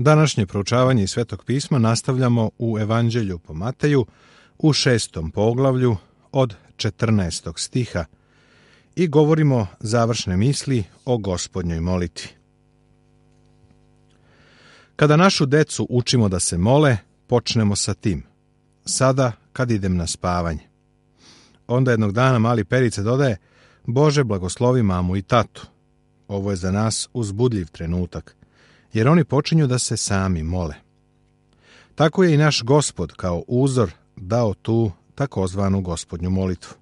Današnje proučavanje iz Svetog pisma nastavljamo u Evanđelju po Mateju u 6. poglavlju od 14. stiha i govorimo završne misli o Gospodnjoj molitvi. Kada našu decu učimo da se mole, počnemo sa tim. Sada kad idem na spavanje. Onda jednog dana mali Perica dodaje: Bože, blagoslovi mamu i tatu. Ovo je za nas uzbudljiv trenutak, jer oni počinju da se sami mole. Tako je i naš Gospod kao uzor dao tu takozvanu Gospodnju molitvu.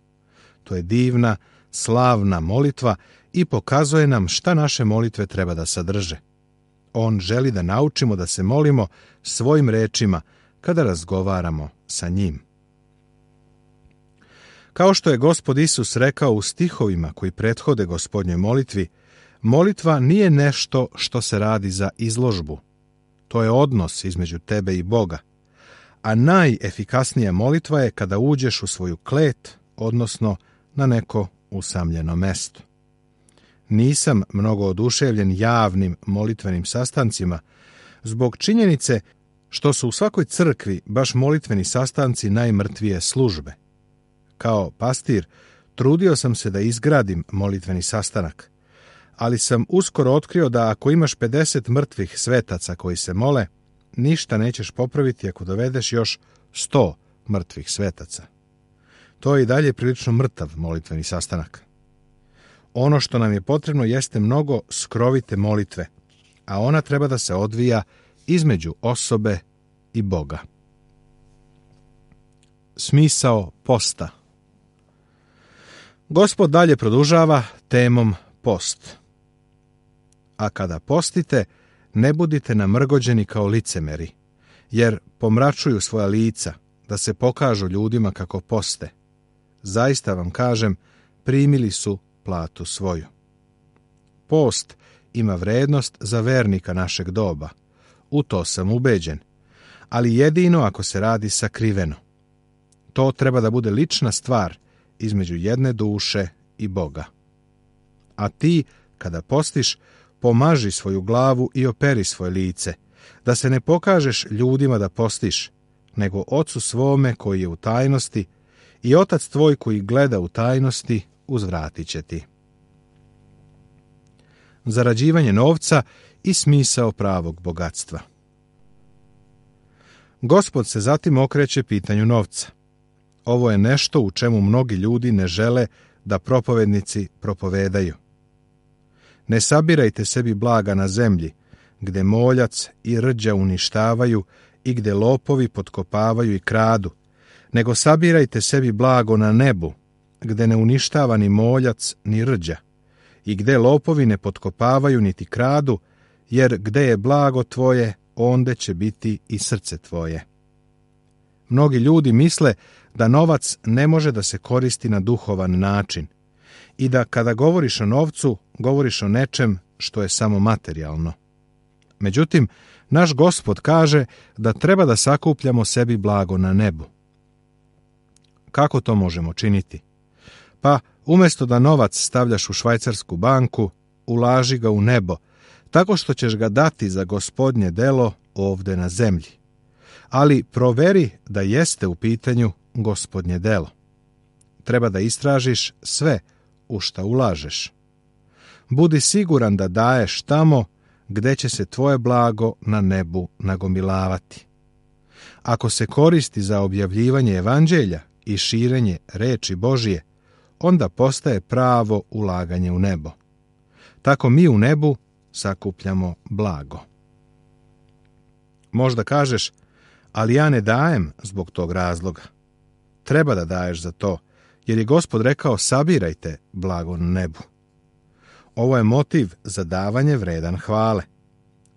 To je divna, slavna molitva i pokazuje nam šta naše molitve treba da sadrže. On želi da naučimo da se molimo svojim rečima kada razgovaramo sa njim. Kao što je Gospod Isus rekao u stihovima koji prethode Gospodnjoj molitvi, molitva nije nešto što se radi za izložbu. To je odnos između tebe i Boga. A najefikasnija molitva je kada uđeš u svoju klet, odnosno na neko usamljeno mesto. Nisam mnogo oduševljen javnim molitvenim sastancima zbog činjenice što su u svakoj crkvi baš molitveni sastanci najmrtvije službe. Kao pastir trudio sam se da izgradim molitveni sastanak, ali sam uskoro otkrio da ako imaš 50 mrtvih svetaca koji se mole, ništa nećeš popraviti ako dovedeš još 100 mrtvih svetaca. To je i dalje prilično mrtav molitveni sastanak. Ono što nam je potrebno jeste mnogo skrovite molitve, a ona treba da se odvija između osobe i Boga. Smisao posta. Gospod dalje produžava temom post. A kada postite, ne budite namrgođeni kao licemeri, jer pomračuju svoja lica, da se pokažu ljudima kako poste. Zaista vam kažem, primili su platu svoju. Post ima vrednost za vernika našeg doba. U to sam ubeđen, ali jedino ako se radi sakriveno. To treba da bude lična stvar između jedne duše i Boga. A ti, kada postiš, pomaži svoju glavu i operi svoje lice, da se ne pokažeš ljudima da postiš, nego Ocu svome koji je u tajnosti, i Otac tvoj koji gleda u tajnosti uzvratit će ti. Zarađivanje novca i smisao pravog bogatstva. Gospod se zatim okreće pitanju novca. Ovo je nešto u čemu mnogi ljudi ne žele da propovednici propovedaju. Ne sabirajte sebi blaga na zemlji, gde moljac i rđa uništavaju i gde lopovi potkopavaju i kradu, nego sabirajte sebi blago na nebu, gde ne uništava ni moljac ni rđa, i gde lopovi ne potkopavaju niti kradu, jer gde je blago tvoje, onde će biti i srce tvoje. Mnogi ljudi misle da novac ne može da se koristi na duhovan način i da kada govoriš o novcu, govoriš o nečem što je samo materijalno. Međutim, naš Gospod kaže da treba da sakupljamo sebi blago na nebu. Kako to možemo činiti? Pa, umjesto da novac stavljaš u švajcarsku banku, ulaži ga u nebo, tako što ćeš ga dati za Gospodnje delo ovde na zemlji. Ali proveri da jeste u pitanju Gospodnje delo. Treba da istražiš sve u šta ulažeš. Budi siguran da daješ tamo gde će se tvoje blago na nebu nagomilavati. Ako se koristi za objavljivanje evanđelja i širenje reči Božije, onda postaje pravo ulaganje u nebo. Tako mi u nebu sakupljamo blago. Možda kažeš, ali ja ne dajem zbog tog razloga. Treba da daješ za to, jer je Gospod rekao sabirajte blago na nebu. Ovo je motiv za davanje vredan hvale,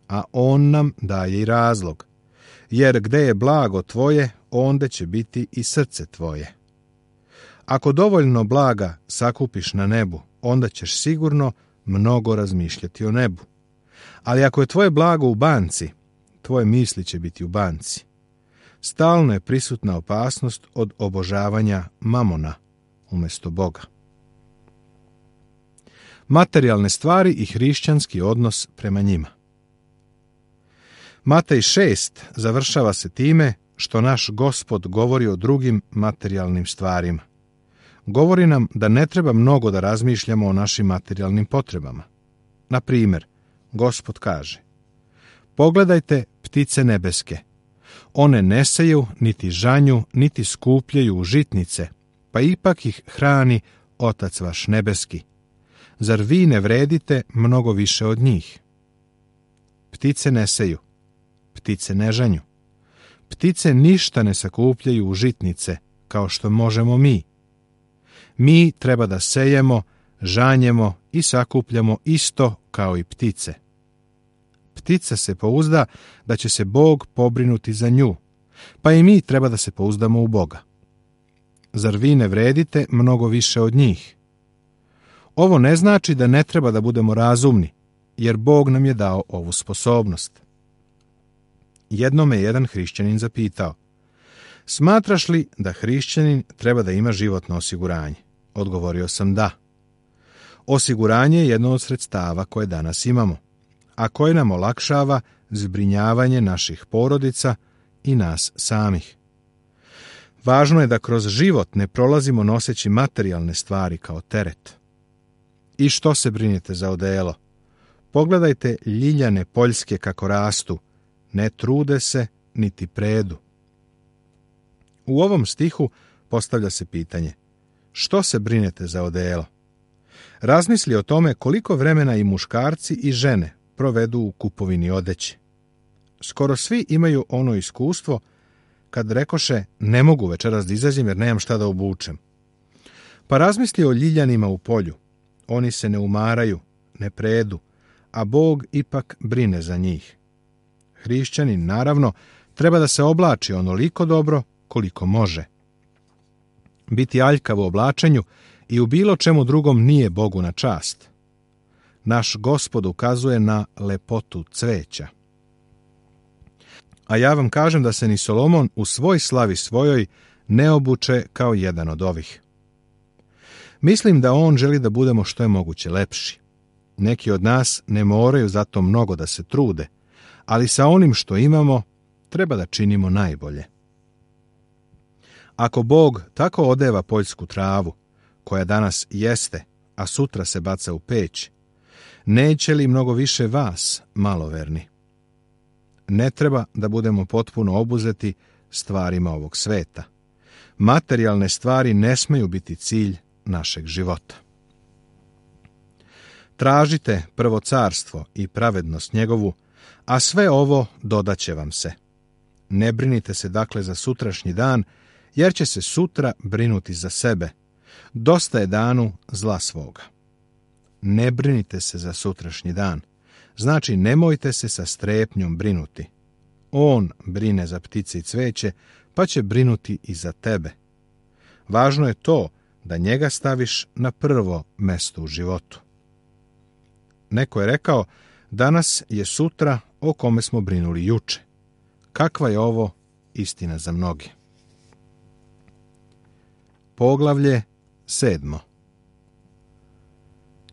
a on nam daje i razlog, jer gde je blago tvoje, onde će biti i srce tvoje. Ako dovoljno blaga sakupiš na nebu, onda ćeš sigurno mnogo razmišljati o nebu. Ali ako je tvoje blago u banci, tvoje misli će biti u banci. Stalno je prisutna opasnost od obožavanja mamona umjesto Boga. Materijalne stvari i hrišćanski odnos prema njima. Matej 6 završava se time što naš Gospod govori o drugim materijalnim stvarima. Govori nam da ne treba mnogo da razmišljamo o našim materijalnim potrebama. Na primjer, Gospod kaže: pogledajte ptice nebeske. One ne seju, niti žanju, niti skupljaju u žitnice, pa ipak ih hrani Otac vaš nebeski. Zar vi ne vredite mnogo više od njih? Ptice ne seju, ptice ne žanju. Ptice ništa ne sakupljaju u žitnice, kao što možemo mi. Mi treba da sejemo, žanjemo i sakupljamo isto kao i ptice. Ptica se pouzda da će se Bog pobrinuti za nju, pa i mi treba da se pouzdamo u Boga. Zar vi ne vredite mnogo više od njih? Ovo ne znači da ne treba da budemo razumni, jer Bog nam je dao ovu sposobnost. Jednom me jedan hrišćanin zapitao: smatraš li da hrišćanin treba da ima životno osiguranje? Odgovorio sam da. Osiguranje je jedno od sredstava koje danas imamo, a koje nam olakšava zbrinjavanje naših porodica i nas samih. Važno je da kroz život ne prolazimo noseći materijalne stvari kao teret. I što se brinete za odelo? Pogledajte ljiljane poljske kako rastu, ne trude se niti predu. U ovom stihu postavlja se pitanje: što se brinete za odelo? Razmisli o tome koliko vremena i muškarci i žene provedu u kupovini odeće. Skoro svi imaju ono iskustvo kad rekoše: ne mogu večeras da izađem jer nemam šta da obučem. Pa razmisli o ljiljanima u polju. Oni se ne umaraju, ne predu, a Bog ipak brine za njih. Hrišćanin, naravno, treba da se oblači onoliko dobro koliko može. Biti aljkav u oblačenju i u bilo čemu drugom nije Bogu na čast. Naš Gospod ukazuje na lepotu cveća. A ja vam kažem da se ni Solomon u svoj slavi svojoj ne obuče kao jedan od ovih. Mislim da on želi da budemo što je moguće lepši. Neki od nas ne moraju zato mnogo da se trude, ali sa onim što imamo treba da činimo najbolje. Ako Bog tako odeva poljsku travu, koja danas jeste, a sutra se baca u peć, neće li mnogo više vas, maloverni? Ne treba da budemo potpuno obuzeti stvarima ovog sveta. Materijalne stvari ne smeju biti cilj našeg života. Tražite prvo carstvo i pravednost njegovu, a sve ovo dodaće vam se. Ne brinite se dakle za sutrašnji dan, jer će se sutra brinuti za sebe. Dosta je danu zla svoga. Ne brinite se za sutrašnji dan. Znači, nemojte se sa strepnjom brinuti. On brine za ptice i cveće, pa će brinuti i za tebe. Važno je to da njega staviš na prvo mesto u životu. Neko je rekao: danas je sutra o kome smo brinuli juče. Kakva je ovo istina za mnoge. Poglavlje 7.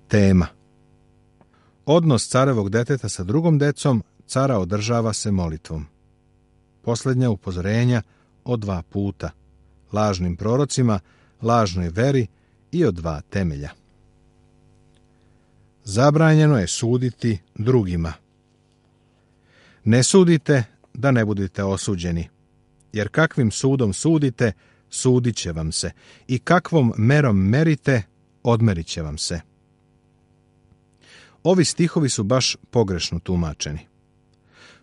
Tema: odnos carevog deteta sa drugom decom cara održava se molitvom. Posljednja upozorenja o 2 puta: lažnim prorocima, lažnoj veri i o 2 temelja. Zabranjeno je suditi drugima. Ne sudite da ne budete osuđeni, jer kakvim sudom sudite, sudit će vam se, i kakvom merom merite, odmerit će vam se. Ovi stihovi su baš pogrešno tumačeni.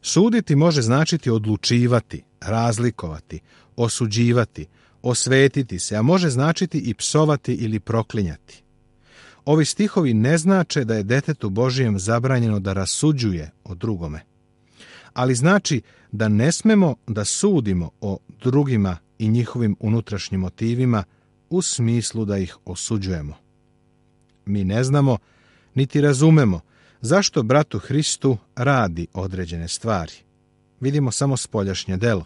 Suditi može značiti odlučivati, razlikovati, osuđivati, osvetiti se, a može značiti i psovati ili proklinjati. Ovi stihovi ne znače da je detetu Božijem zabranjeno da rasuđuje o drugome, ali znači da ne smemo da sudimo o drugima i njihovim unutrašnjim motivima u smislu da ih osuđujemo. Mi ne znamo niti razumemo zašto bratu Hristu radi određene stvari. Vidimo samo spoljašnje delo.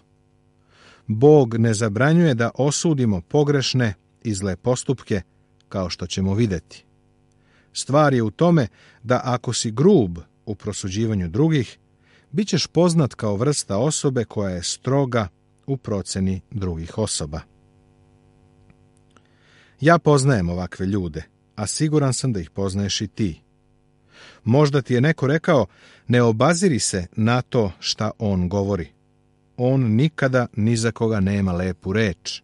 Bog ne zabranjuje da osudimo pogrešne i zle postupke, kao što ćemo vidjeti. Stvar je u tome da ako si grub u prosuđivanju drugih, bit ćeš poznat kao vrsta osobe koja je stroga u proceni drugih osoba. Ja poznajem ovakve ljude, a siguran sam da ih poznaješ i ti. Možda ti je neko rekao, ne obaziri se na to šta on govori. On nikada ni za koga nema lepu reč.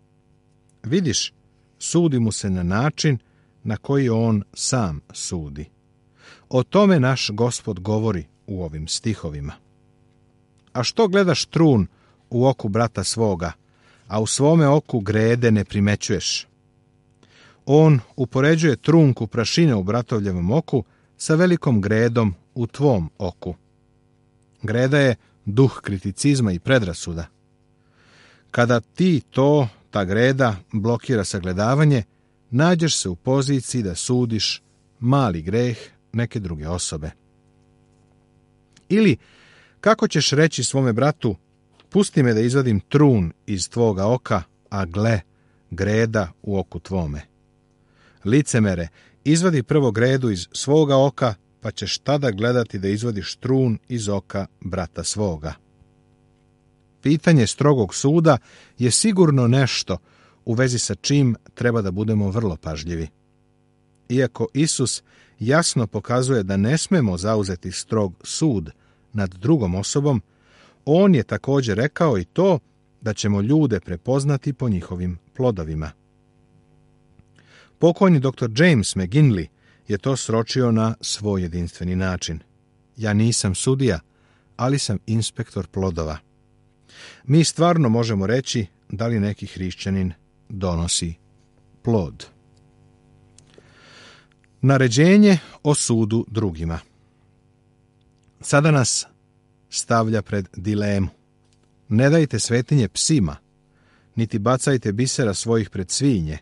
Vidiš, sudi mu se na način na koji on sam sudi. O tome naš Gospod govori u ovim stihovima. A što gledaš trun u oku brata svoga, a u svome oku grede ne primećuješ? On upoređuje trunku prašine u bratovljevom oku sa velikom gredom u tvom oku. Greda je duh kriticizma i predrasuda. Kada ti ta greda blokira sagledavanje, nađeš se u poziciji da sudiš mali greh neke druge osobe. Ili, kako ćeš reći svome bratu, pusti me da izvadim trun iz tvoga oka, a gle, greda u oku tvome. Licemere, izvadi prvo gredu iz svoga oka, pa ćeš tada gledati da izvadiš trun iz oka brata svoga. Pitanje strogog suda je sigurno nešto u vezi sa čim treba da budemo vrlo pažljivi. Iako Isus jasno pokazuje da ne smemo zauzeti strog sud nad drugom osobom, on je također rekao i to da ćemo ljude prepoznati po njihovim plodovima. Pokojni dr. James McGinley je to sročio na svoj jedinstveni način. Ja nisam sudija, ali sam inspektor plodova. Mi stvarno možemo reći da li neki hrišćanin donosi plod. Naređenje o sudu drugima. Sada nas stavlja pred dilemu. Ne dajte svetinje psima, niti bacajte bisera svojih pred svinje,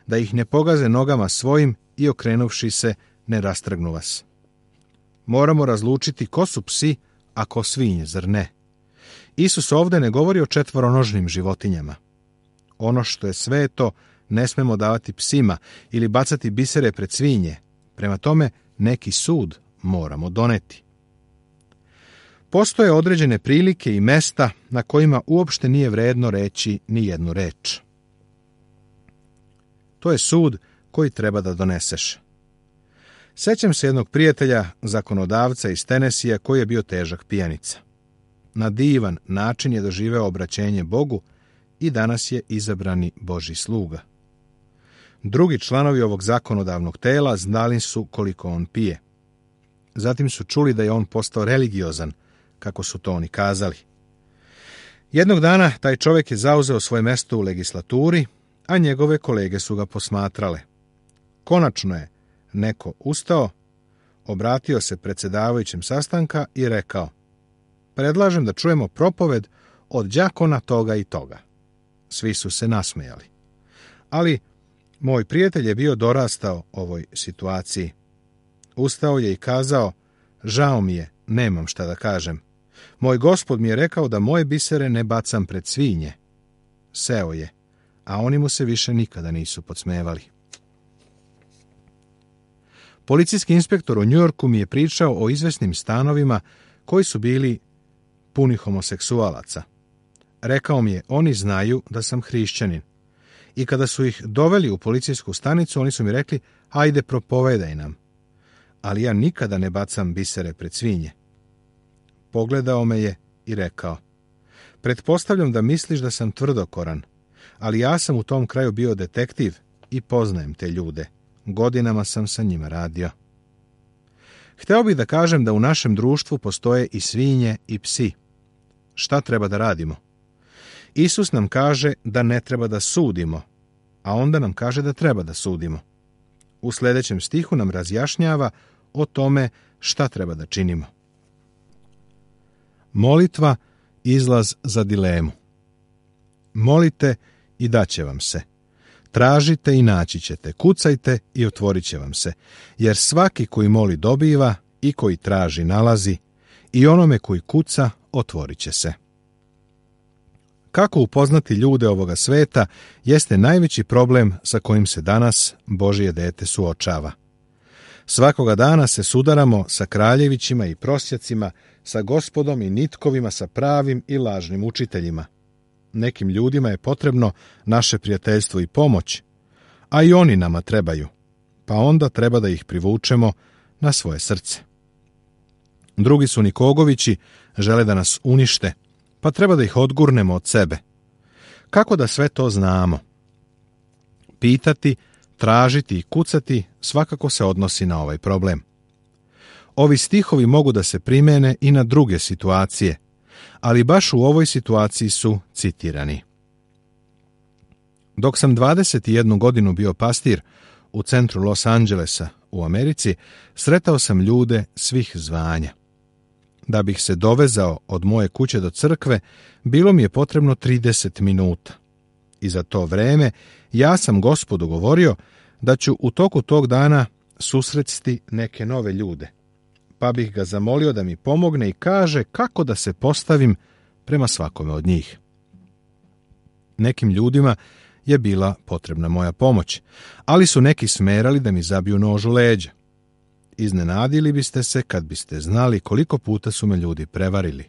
da ih ne pogaze nogama svojim i okrenuvši se ne rastrgnu vas. Moramo razlučiti ko su psi, a ko svinje, zar ne? Isus ovdje ne govori o četvoronožnim životinjama. Ono što je sveto ne smemo davati psima ili bacati bisere pred svinje. Prema tome, neki sud moramo doneti. Postoje određene prilike i mesta na kojima uopšte nije vredno reći ni jednu reč. To je sud koji treba da doneseš. Sećam se jednog prijatelja, zakonodavca iz Tenesija, koji je bio težak pijanica. Na divan način je doživeo obraćenje Bogu i danas je izabrani Božji sluga. Drugi članovi ovog zakonodavnog tela znali su koliko on pije. Zatim su čuli da je on postao religiozan, kako su to oni kazali. Jednog dana taj čovjek je zauzeo svoje mjesto u legislaturi, a njegove kolege su ga posmatrale. Konačno je neko ustao, obratio se predsjedavajućem sastanka i rekao: predlažem da čujemo propoved od đakona toga i toga. Svi su se nasmejali. Ali moj prijatelj je bio dorastao ovoj situaciji. Ustao je i kazao: žao mi je, nemam šta da kažem. Moj Gospod mi je rekao da moje bisere ne bacam pred svinje. Seo je, a oni mu se više nikada nisu podsmevali. Policijski inspektor u Njujorku mi je pričao o izvesnim stanovima koji su bili puni homoseksualaca. Rekao mi je, oni znaju da sam hrišćanin. I kada su ih doveli u policijsku stanicu, oni su mi rekli: hajde, propovedaj nam. Ali ja nikada ne bacam bisere pred svinje. Pogledao me je i rekao: pretpostavljam da misliš da sam tvrdokoran, ali ja sam u tom kraju bio detektiv i poznajem te ljude. Godinama sam sa njima radio. Hteo bih da kažem da u našem društvu postoje i svinje i psi. Šta treba da radimo? Isus nam kaže da ne treba da sudimo, a onda nam kaže da treba da sudimo. U sljedećem stihu nam razjašnjava o tome šta treba da činimo. Molitva, izlaz za dilemu. Molite i daće vam se. Tražite i naći ćete, kucajte i otvorit će vam se, jer svaki koji moli dobiva i koji traži nalazi, i onome koji kuca otvorit će se. Kako upoznati ljude ovoga sveta jeste najveći problem sa kojim se danas Božje dete suočava. Svakoga dana se sudaramo sa kraljevićima i prosjacima sa Gospodom i nitkovima sa pravim i lažnim učiteljima. Nekim ljudima je potrebno naše prijateljstvo i pomoć, a i oni nama trebaju, pa onda treba da ih privučemo na svoje srce. Drugi su Nikogovići, žele da nas unište, pa treba da ih odgurnemo od sebe. Kako da sve to znamo? Pitati, tražiti i kucati svakako se odnosi na ovaj problem. Ovi stihovi mogu da se primene i na druge situacije, ali baš u ovoj situaciji su citirani. Dok sam 21 godinu bio pastir u centru Los Angelesa u Americi, sretao sam ljude svih zvanja. Da bih se dovezao od moje kuće do crkve, bilo mi je potrebno 30 minuta. I za to vreme ja sam Gospodu govorio da ću u toku tog dana susresti neke nove ljude, pa bih ga zamolio da mi pomogne i kaže kako da se postavim prema svakome od njih. Nekim ljudima je bila potrebna moja pomoć, ali su neki smerali da mi zabiju nož u leđa. Iznenadili biste se kad biste znali koliko puta su me ljudi prevarili.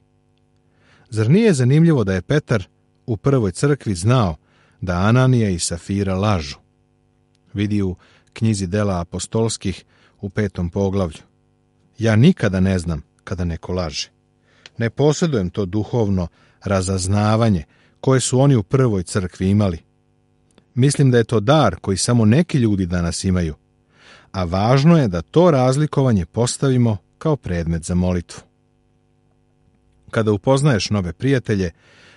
Zar nije zanimljivo da je Petar u prvoj crkvi znao da Ananija i Safira lažu? Vidi u knjizi Dela apostolskih u 5. poglavlju. Ja nikada ne znam kada neko laže. Ne posjedujem to duhovno razaznavanje koje su oni u prvoj crkvi imali. Mislim da je to dar koji samo neki ljudi danas imaju, a važno je da to razlikovanje postavimo kao predmet za molitvu. Kada upoznaješ nove prijatelje,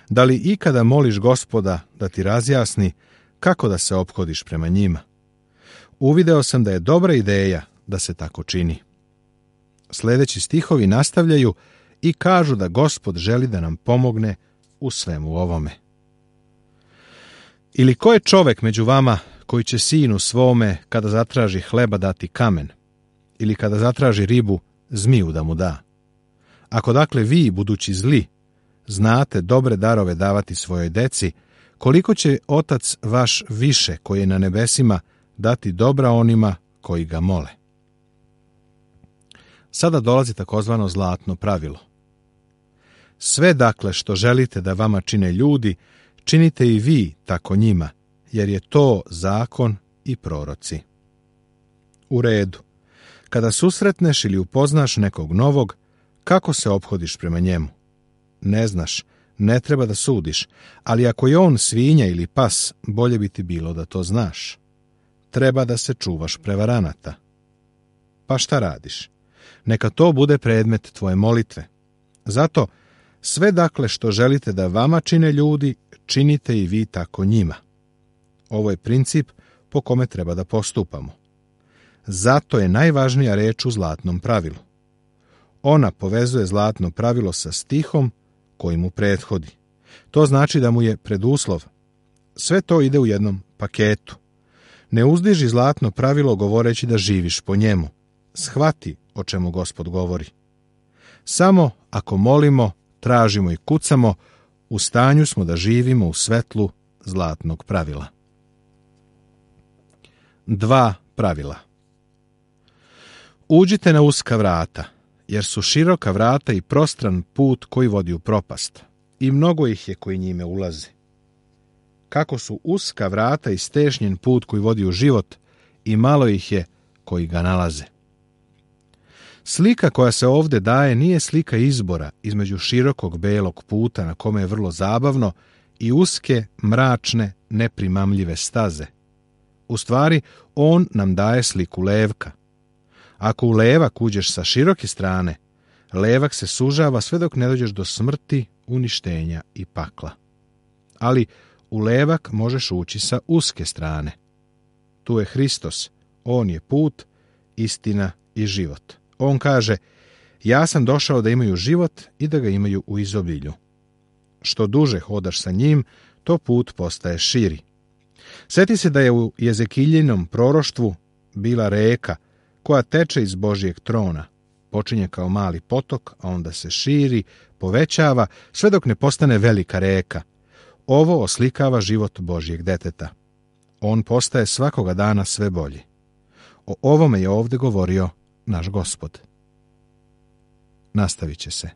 da li ikada moliš Gospoda da ti razjasni kako da se ophodiš prema njima? Uvideo sam da je dobra ideja da se tako čini. Sljedeći stihovi nastavljaju i kažu da Gospod želi da nam pomogne u svemu ovome. Ili ko je čovek među vama koji će sinu svome kada zatraži hleba dati kamen, ili kada zatraži ribu zmiju da mu da? Ako dakle vi, budući zli, znate dobre darove davati svojoj deci, koliko će Otac vaš više koji je na nebesima dati dobra onima koji ga mole? Sada dolazi takozvano zlatno pravilo. Sve dakle što želite da vama čine ljudi, činite i vi tako njima, jer je to zakon i proroci. U redu. Kada susretneš ili upoznaš nekog novog, kako se ophodiš prema njemu? Ne znaš, ne treba da sudiš, ali ako je on svinja ili pas, bolje bi ti bilo da to znaš. Treba da se čuvaš prevaranata. Pa šta radiš? Neka to bude predmet tvoje molitve. Zato, sve dakle što želite da vama čine ljudi, činite i vi tako njima. Ovo je princip po kome treba da postupamo. Zato je najvažnija reč u zlatnom pravilu. Ona povezuje zlatno pravilo sa stihom koji mu prethodi. To znači da mu je preduslov. Sve to ide u jednom paketu. Ne uzdiži zlatno pravilo govoreći da živiš po njemu. Shvati o čemu Gospod govori. Samo ako molimo, tražimo i kucamo, u stanju smo da živimo u svetlu zlatnog pravila. 2 pravila. Uđite na uska vrata, jer su široka vrata i prostran put koji vodi u propast, i mnogo ih je koji njime ulaze. Kako su uska vrata i stešnjen put koji vodi u život, i malo ih je koji ga nalaze. Slika koja se ovdje daje nije slika izbora između širokog belog puta na kome je vrlo zabavno i uske, mračne, neprimamljive staze. U stvari, on nam daje sliku levka. Ako u levak uđeš sa široke strane, levak se sužava sve dok ne dođeš do smrti, uništenja i pakla. Ali u levak možeš ući sa uske strane. Tu je Hristos, on je put, istina i život. On kaže, ja sam došao da imaju život i da ga imaju u izobilju. Što duže hodaš sa njim, to put postaje širi. Sjeti se da je u Jezekiljinom proroštvu bila reka koja teče iz Božjeg trona. Počinje kao mali potok, a onda se širi, povećava, sve dok ne postane velika reka. Ovo oslikava život Božjeg deteta. On postaje svakoga dana sve bolji. O ovome je ovdje govorio naš Gospod. Nastavit će se.